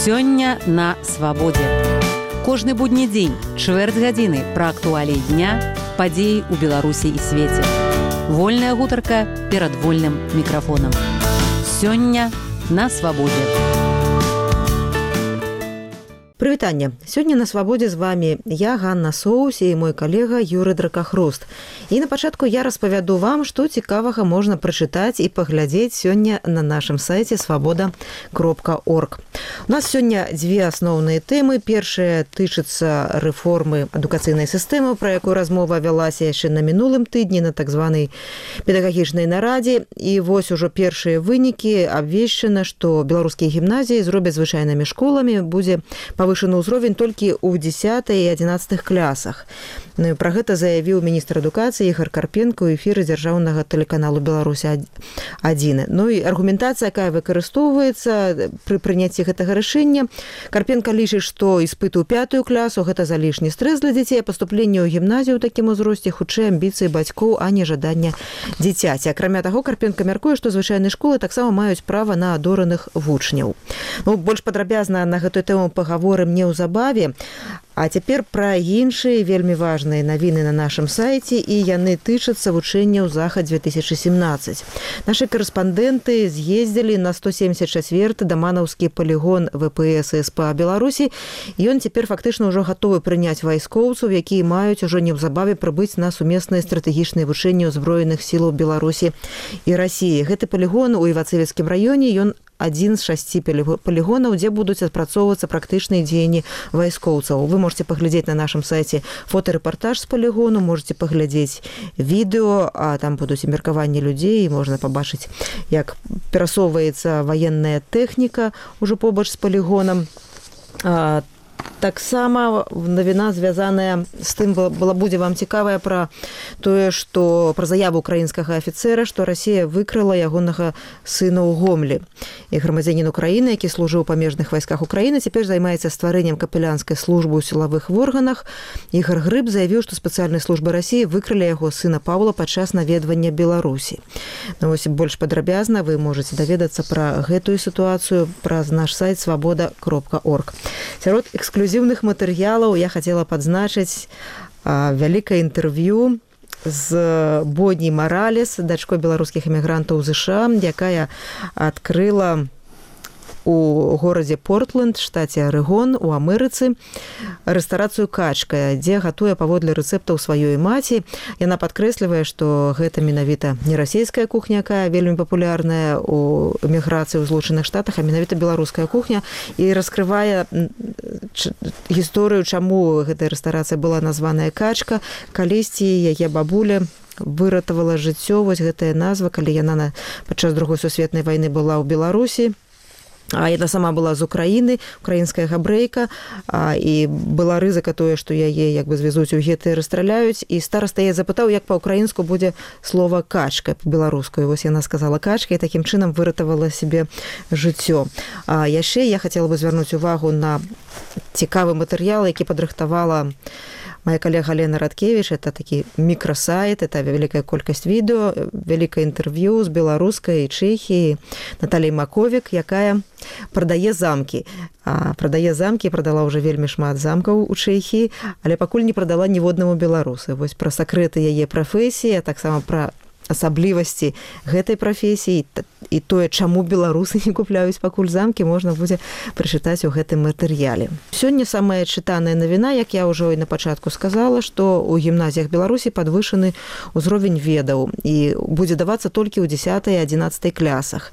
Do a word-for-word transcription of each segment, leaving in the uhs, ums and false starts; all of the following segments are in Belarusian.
Сёння на свабодзе. Кожны будні дзень, чвэрць гадзіны пра актуаліі дня, падзеі ў Беларусі і свеце. Вольная гутарка перад вольным мікрафонам. Сёння на свабодзе. Прывітанне. Сёння на свабодзе з вами я, Ганна Соус, і мой калега Юрый Дракахруст. І на пачатку я распавяду вам, што цікавага можна прачытаць і паглядзець сёння на нашым сайце свабода кропка орг. У нас сёння дзве асноўныя тэмы. Першая тычыцца рэформы адукацыйнай сістэмы, пра якую размова вялася яшчэ на мінулым тыдні на так званай педагагічнай нарадзе. І вось ужо першыя вынікі. Абвешчана, што беларускія гімназіі зробяць звычайнымі школамі, будзе павышаны ўзровень толькі ў дзесятай і адзінаццатых класах. Ну, і пра гэта заявіў міністр адукацыі Ігор Карпенко ў эфіры дзяржаўнага тэлеканалу Беларусь адзін. Ну і аргументацыя, якая выкарыстоўваецца пры прыняцці гэтага рашэння. Карпенко лічыць, што іспыты ў пятую класу гэта залішні стрэс для дзяцей, а паступленне ў гімназію ў такім узросце хутчэй амбіцыі бацькоў, а не жаданне дзіцяці. Акрамя таго, Карпенко мяркуе, што звычайныя школы таксама маюць права на адораных вучняў. Ну, больш падрабязна на гэтую тэму пагаворым неўзабаве. А цяпер пра іншыя вельмі важныя навіны на нашым сайце, і яны тычацца вучэнняў захад две тысячы семнаццаць. Нашы карэспандэнты з'ездзілі на сто семьдесят чацвёрты даманаўскі палігон вэ пэ эс эс па Беларусі. Ён цяпер фактычна ўжо гатовы прыняць вайскоўцаў, якія маюць ужо неўзабаве прыбыць на сумесныя стратэгічныя вучэнні ўзброеных сілаў Беларусі і Расіі. Гэты палігон у Івацевецкім раёне, ён адзін з шасці палігонаў, дзе будуць адпрацоўвацца практычныя дзеянні вайскоўцаў. Вы можете паглядзець на нашым сайце фотарэпартаж з палігону, можете паглядзець відэо, а там будуць і меркаванні людзей, і можна пабачыць, як перасоўваецца ваенная тэхніка ўжо побач з палігонам. Таксама навіна, звязаная з тым, была будзе вам цікавая пра тое, што пра заяву украінскага афіцэра, што Расія выкрала ягонага сына ў Гомлі. І грамадзянін Украіны, які служыў у памежных вайсках Украіны, цяпер займаецца стварэннем капелянскай службы ў сілавых органах. Ігор Грыб заявіў, што спецыяльныя службы Расіі выкралі яго сына Паўла падчас наведвання Беларусі. Ну, вось больш падрабязна вы можете даведацца пра гэтую сітуацыю праз наш сайт свабода кропка орг. Сярод эксклюзіўных матэрыялаў я хацела падзначыць а, вялікае інтэрв'ю з Бодні Маралес, дачкой беларускіх эмігрантаў з ЗША, якая адкрыла у горадзе Портленд, штаце Арэгон, у Амерыцы, рэстарацыю «Качка», дзе гатуе паводле рэцэптаў сваёй маці. Яна падкрэслівае, што гэта менавіта не расійская кухня, якая вельмі папулярная у эміграцыі ў Злучаных Штатах, а менавіта беларуская кухня, і раскрывае гісторыю, чаму гэтая рэстарацыя была названая «Качка». Калісьці яе бабуля выратавала жыццё, вось гэтая назва, калі яна на падчас другой сусветнай вайны была ў Беларусі. А яна сама была з Украіны, украінская габрэйка, а, і была рызыка тое, што яе як бы звязуць у геты і расстраляюць. І стараста я запытаў, як па-украінску будзе слова «качка» па-беларускую. Вось яна сказала «качка» і такім чынам выратавала себе жыццё. А яшчэ я хацела бы звярнуць увагу на цікавы матэрыял, які падрыхтавала моя калега Лена Радкевіч. Это такі мікрасайт, это вялікая колькасць відэо, вялікае інтэрв'ю з беларускай Чэхіі Наталей Маковік, якая прадае замкі. А, прадае замкі, прадала ўжо вельмі шмат замкаў у Чэхіі, але пакуль не прадала ніводнаму беларусы. Вось пра сакрэты яе прафесіі, а таксама пра асаблівасці гэтай прафесіі і тое, чаму беларусы не купляюць пакуль замкі, можна будзе прачытаць у гэтым матэрыяле. Сёння самая чытаная навіна, як я ўжо і на пачатку сказала, што ў гімназіях Беларусі падвышаны ўзровень ведаў і будзе давацца толькі ў дзесятай і адзінаццатай класах.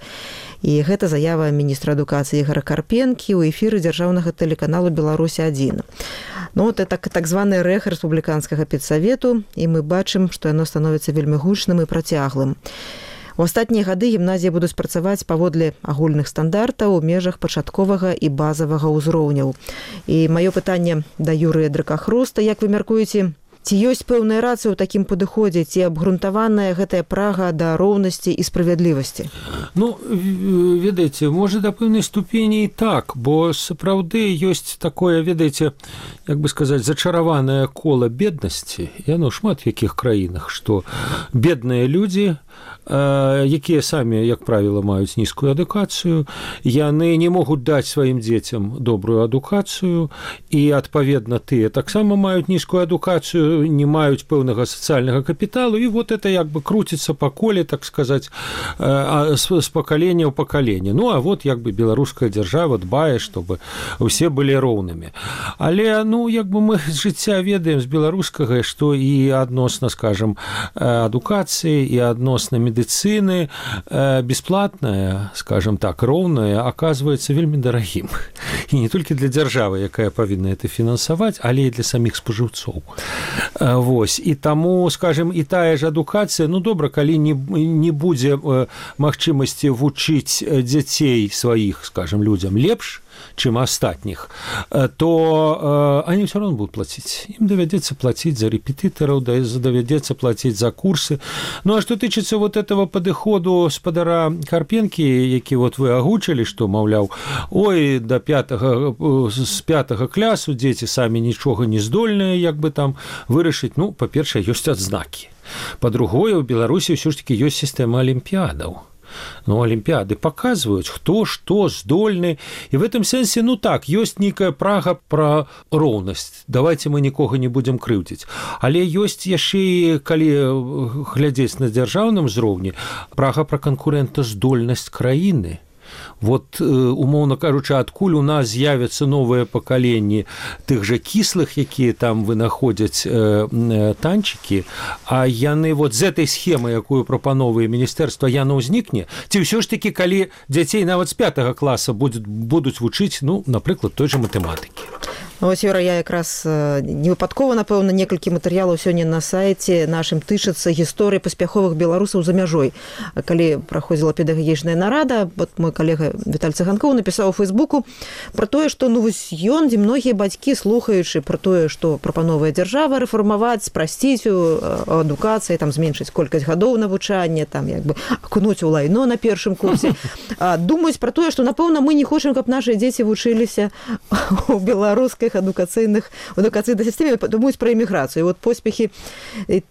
І гэта заява міністра адукацыі Ігора Карпенкі ў эфіры дзяржаўнага тэлеканалу Беларусь адзін. Ну, вот это так званы рэх рэспубліканскага педсавету, і мы бачым, што яно становіцца вельмі гучным і працяглым. У астатнія гады гімназіі будуць працаваць паводле агульных стандартаў у межах пачатковага і базавага ўзроўняў. І маё пытанне да Юрыя Дракахруста, як вы мяркуеце, Ці ёсць пэўная рацыя ў такім падыходзе, ці абгрунтаваная гэтая прага да роўнасці і справядлівасці? Ну, ведаеце, можа, да пэўнай ступені і так, бо сапраўды ёсць такое, ведаеце, як бы сказаць, зачараванае кола беднасці, яно ў шмат якіх краінах, што бедныя людзі, якія самі, як правіла, маюць нізкую адукацыю, яны не могуць даць сваім дзецям добрую адукацыю, і, адпаведна, тыя таксама маюць нізкую адукацыю, не маюць пэўнага сацыяльнага капіталу, і вот это як бы круціцца па коле, так сказаць, з пакалення ў пакаленне. Ну, а вот як бы беларуская дзяржава дбае, чтобы ўсе былі роўнымі. Але, ну, як бы мы з жыцця ведаем з беларускага, што і адносна, скажам, адукацыі, і адносна медицины э, бесплатная, скажем так, роўная, оказывается вельмі дарагім. І не толькі для дзяржавы, якая павінна это фінансаваць, але і для саміх спажыўцоў. Э, вось. І таму, скажем, і тая ж адукацыя, ну, добра, калі не, не будзе э, магчымасці вучыць дзяцей сваіх, скажем, людзям лепш, чым астатніх, то э, они все равно будут платить. Им доведется платить за репетиторов, доведется платить за курсы. Ну, а что тычыцца вот этого падыходу спадара Карпенкі, які вот вы агучылі, што, маўляў, ой, да пятага, з пятага клясу дзеці самі нічога не здольныя, як бы там вырашыць, ну, па-першае, ёсць адзнакі. Па-другое, у Беларусі ўсё ж таки ёсць сістэма алімпіядаў. Ну, олимпиады показывают, кто что здольны. И в этом сенсе, ну так, есть некая прага про роўнасць. Давайте мы нікога не будем крыўдзіць. Але ёсць яшчэ і, калі глядзець на дзяржаўным узроўні, прага про канкурэнтаздольнасць краіны. Вот, умоўна кажучы, адкуль у нас з'явяцца новыя пакаленні тых жа кіслых, якія там вынаходзяць э, танчыкі, а яны вот з этой схемы, якую прапановвае міністэрства, яно ўзнікне, ці ўсё ж такі, калі дзяцей нават з пятага класа будуць, будуць вучыць, ну, напрыклад, той жа матэматыкі. Вось, Юра, я якраз невыпадкова, напэўна, некалькі матэрыялаў сёння на сайце нашым тычыцца гісторыі паспяховых беларусаў за мяжой. Калі праходзіла педагагічная нарада, вот мой калега Віталь Цыганкоў напісаў у Фейсбуку пра тое, што, ну, вось ён, дзе многія бацькі, слухаючы пра тое, што прапановвае дзяржава рэфармаваць, спрасціць у адукацыі, там, зменшыць колькасць гадоў навучання, там, як бы акунуць у лайно на першым курсе, думаюць пра тое, што, напэўна, мы не хочам, каб нашы дзеці вучыліся у беларускай адукацыйных адукацыйнай сістэме, думаюць пра эміграцыю. Вот поспехі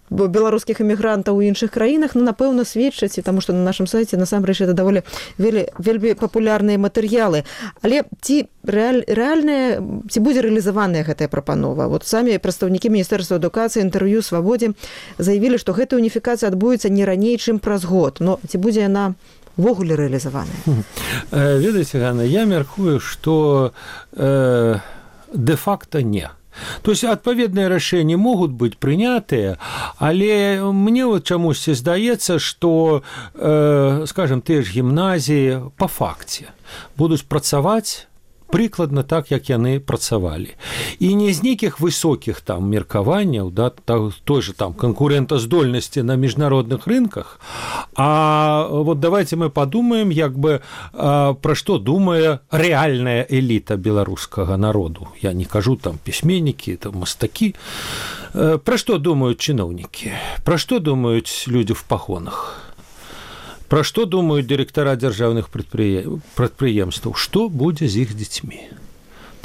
беларускіх эмігрантаў у іншых краінах, ну, напэўна, сведчаць, таму што на нашым сайце насамрэч это даволі вельмі папулярныя матэрыялы. Але ці рэаль, рэальная, ці будзе рэалізаваная гэтая прапанова? Вот самі прадстаўнікі міністэрства адукацыі інтэрв'ю Свабодзе заявілі, што гэтая уніфікацыя адбудзецца не раней, чым праз год. Но ці будзе яна увогуле рэалізаваная? Ведаеце, Ганна, я мяркую, што э, де-факто не. То есть адпаведныя рашэнні могуць быць прынятыя, але мне вот чамусьці здаецца, што, э, скажем, тыя ж гімназіі па факце будуць працаваць прыкладна так, як яны працавалі. І не з нейкіх высокіх там меркаванняў, да, той же там канкурэнтаздольнасці на міжнародных рынках, а вот давайте мы подумаем, як бы, пра што думае рэальная эліта беларускага народу. Я не кажу там пісьменнікі, там мастакі. Пра што думаюць чыноўнікі? Пра што думаюць людзі в пагонах? Пра што думаюць дырэктара дзяржаўных прадпрыемстваў? Што будзе з іх дзецьмі?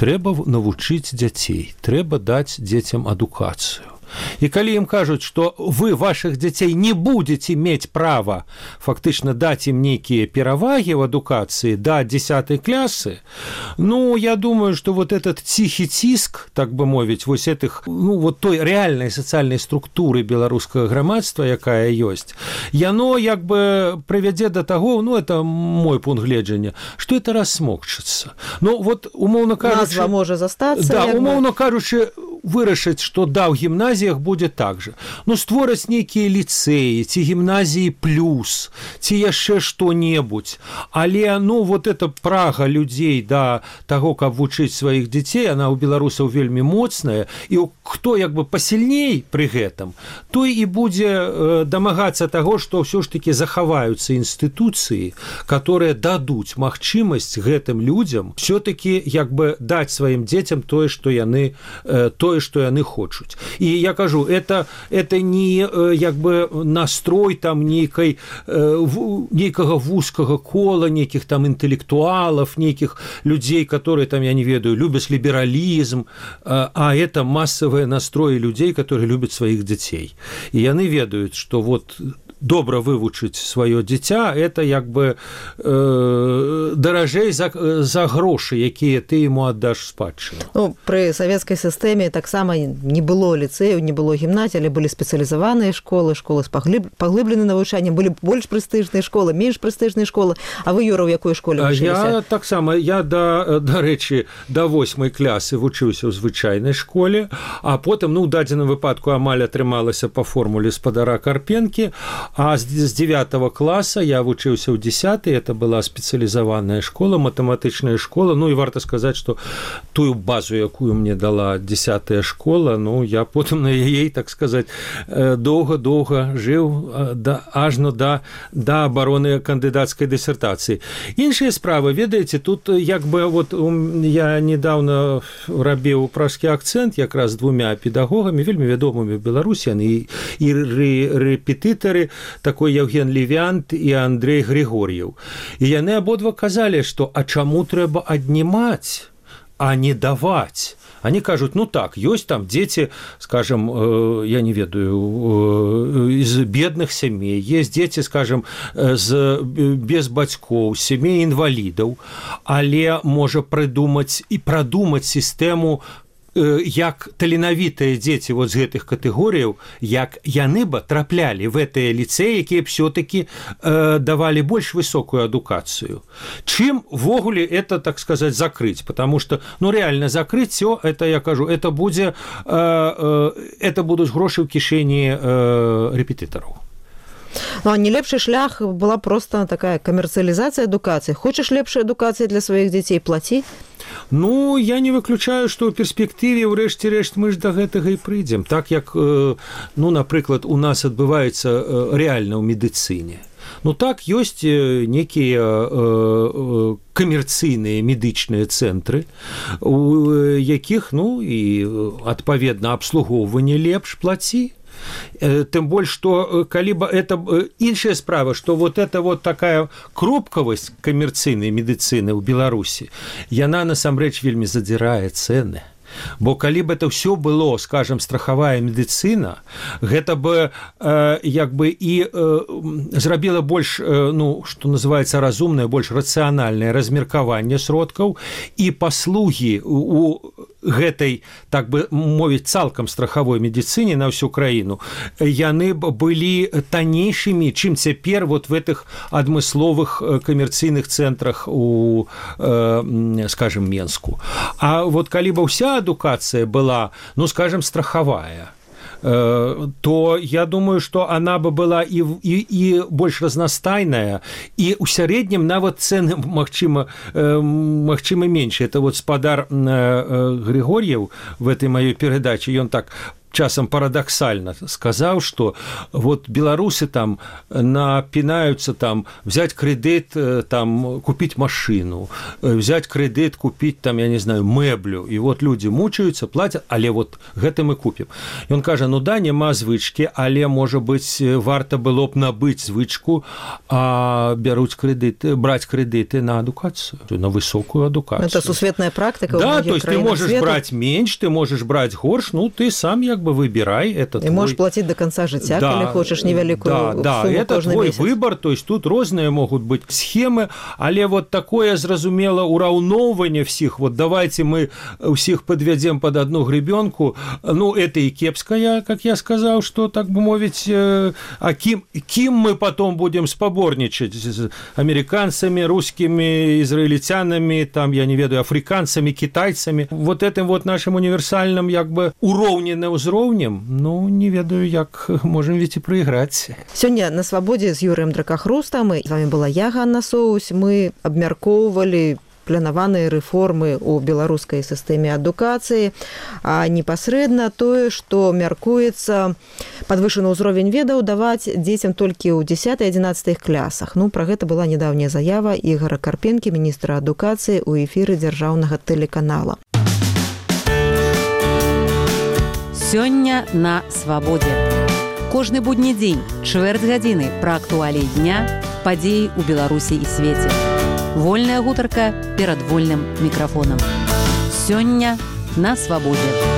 Трэба навучыць дзяцей, трэба даць дзецям адукацыю. І калі ім кажуць, што вы вашых дзяцей не будзеце мець права фактычна даць ім нейкія перавагі ў адукацыі да дзесятай клясы, ну, я думаю, што вот этот ціхі ціск, так бы мовіць, вось этих, ну, вот той рэальнай сацыяльнай структуры беларускага грамадства, якая ёсць, яно як бы прывядзе да таго, ну, это мой пункт гледжання, што это рассмокчыцца. Ну, вот, умоўна кажучы... Назва можа застацца. Да, умоўна кажучы, вырашыць, што да, ў гімназіях будзе так жа. Ну, створаць нейкія ліцэі, ці гімназіі плюс, ці яшчэ што-небудзь. Але, ну, вот эта прага людзей да таго, каб вучыць сваіх дзяцей, она ў беларусаў вельмі моцная, і хто як бы пасільней пры гэтым, той і будзе э, дамагацца таго, што ўсё ж такі захаваюцца інстытуцыі, которые дадуць магчымасць гэтым людзям все-таки як бы даць сваім дзецям тое, што яны, э, тое, тое, што яны хочуць. І я кажу, это, это не як бы настрой там нейкай, нейкага вузкага кола, нейкіх там інтэлектуалаў, нейкіх людзей, которые там, я не ведаю, любяць лібералізм, а это массавыя настроі людзей, которые любят сваіх дзяцей. І яны ведаюць, што вот добра вывучыць сваё дзіця, это як бы э, даражэй за, за грошы, якія ты ему аддаш спадчыну. Ну, пры савецкай сістэме таксама не было ліцэяў, не было гімназій, але былі спецыялізаваныя школы, школы з паглыб... паглыбленым навучаннем, былі больш прэстыжныя школы, менш прэстыжныя школы. А вы, Юра, ў якой школе вучыліся? Я таксама, я да, дарэчы, да восьмай класы вучыўся ў звычайнай школе, а потым, ну, у дадзеным выпадку амаль атрымалася па формуле спадара Карпенкі. А з дзевятого класа я вучыўся ў дзесяты, это была спецыялізаваная школа, матэматычная школа, ну і варта сказаць, што тую базу, якую мне дала дзесятая школа, ну я потым на яе, так сказаць, доўга-доўга жыў да, ажно да, да абароны кандыдацкай дысертацыі. Іншая справа, ведаеце, тут як бы вот я недавно рабіў пражскі акцэнт якраз з двумя педагогамі, вельмі вядомымі ў Беларусі, і, і рэпетытары, такой Евген Левянт і Андрей Григор'ев. І яны абодва казалі, што а чаму трэба аднімаць, а не даваць? Они кажут, ну так, ёсць там дзеці, скажем, э, я не ведаю, э, из бедных сямей, есть дзеці, скажем, з, без бацькоў, сямей інвалідаў, але можа прыдумаць і прадумаць сістэму, як таленавітыя дзеці вот з гэтых катэгорыяў, як яны бы траплялі в гэтыя ліцэі, якія все-таки э, давалі больш высокую адукацыю. Чым ввогуле это, так сказать, закрыть? Потому что, ну, реально закрыть все, это, я кажу, это будзе, э, э, это будуць грошы ў кішэні э, рэпетытараў. Ну, а не лепшы шлях была просто такая камерцыялізацыя адукацыі. Хочаш лепшай адукацыі для сваіх дзяцей, плаці? Ну, я не выключаю, што ў перспектыве, ўрэшце рэшт, мы ж да гэтага і прыйдзем. Так як, ну, напрыклад, у нас адбываецца рэальна ў медыцыне. Ну, так, ёсць некія камерцыйныя медычныя цэнтры, у якіх, ну, і, адпаведна, абслугоўванне лепш, плаці. Тым больш, што калі бы это іншая справа, што вот это вот такая кропкавасць камерцыйнай медыцыны ў Беларусі, яна насамрэч вельмі задзірае цэны. Бо калі б это ўсё было, скажем, страхавая медыцына, гэта бы э, як бы і э, зрабіла больш, э, ну, што называецца разумнае, больш рацыянальнае размеркаванне сродкаў і паслугі у гэтай, так бы мовіць, цалкам страхавой медыцыне на ўсю краіну, яны б былі таннейшымі, чым цяпер вот в этих адмысловых камерцыйных цэнтрах у, э, скажем, Менску. А вот калі бы ўся адукацыя была, ну, скажем, страхавая, то я думаю, что она бы была и, и, и больш разнастайная, и у сярэднім нават цены, магчыма, магчыма меньше. Это вот спадар Григор'ев в этой моей передаче, ён так часам парадоксально сказал, что вот белорусы там напинаются там взять кредит, там купить машину, взять кредит, купить там, я не знаю, меблю, и вот люди мучаются, платят, але вот гэта мы купим. И он кажа, ну да, нема звычки, але, может быть, варта было б набыть звычку, а бяруць кредиты, брать кредиты на адукацию, на высокую адукацию. Это сусветная практика. Да, то есть ты можешь свету. брать меньше, ты можешь брать горш, ну ты сам як бы выбирай, это и твой... можешь платить до конца жыцця, да, калі хочаш невялікую да, сумму да, это твой месяц. Выбор, то есть тут розныя могут быть схемы, але вот такое, зразумела, ураўноўванне всіх, вот давайте мы всіх подвядзем под одну гребенку, ну это и кепская, как я сказал, что, так бы мовить, а ким, ким мы потом будем спаборничать с американцами, русскими, израильтянами, там, я не ведаю, африканцами, китайцами, вот этим вот нашим универсальным, як бы, уроўненым узроўнем, ну, не ведаю, як можем ведь и проиграть. Сёння на свабодзе з Юрыем Дракахрустам, і з вами была я, Ганна Соусь, мы абмяркоўвалі планаваныя рэформы ў беларускай сістэме адукацыі, а непасрэдна тое, што мяркуецца падвышаны ўзровень ведаў даваць дзецям толькі ў дзесятай адзінаццатай класах. Ну, пра гэта была нядаўняя заява Ігора Карпенкі, міністра адукацыі, у эфіры дзяржаўнага тэлеканала. Сёння на свабодзе. Кожны будні дзень, чвэрць гадзіны пра актуаліі дня, падзеі ў Беларусі і свеце. Вольная гутарка перад вольным мікрафонам. Сёння на свабодзе.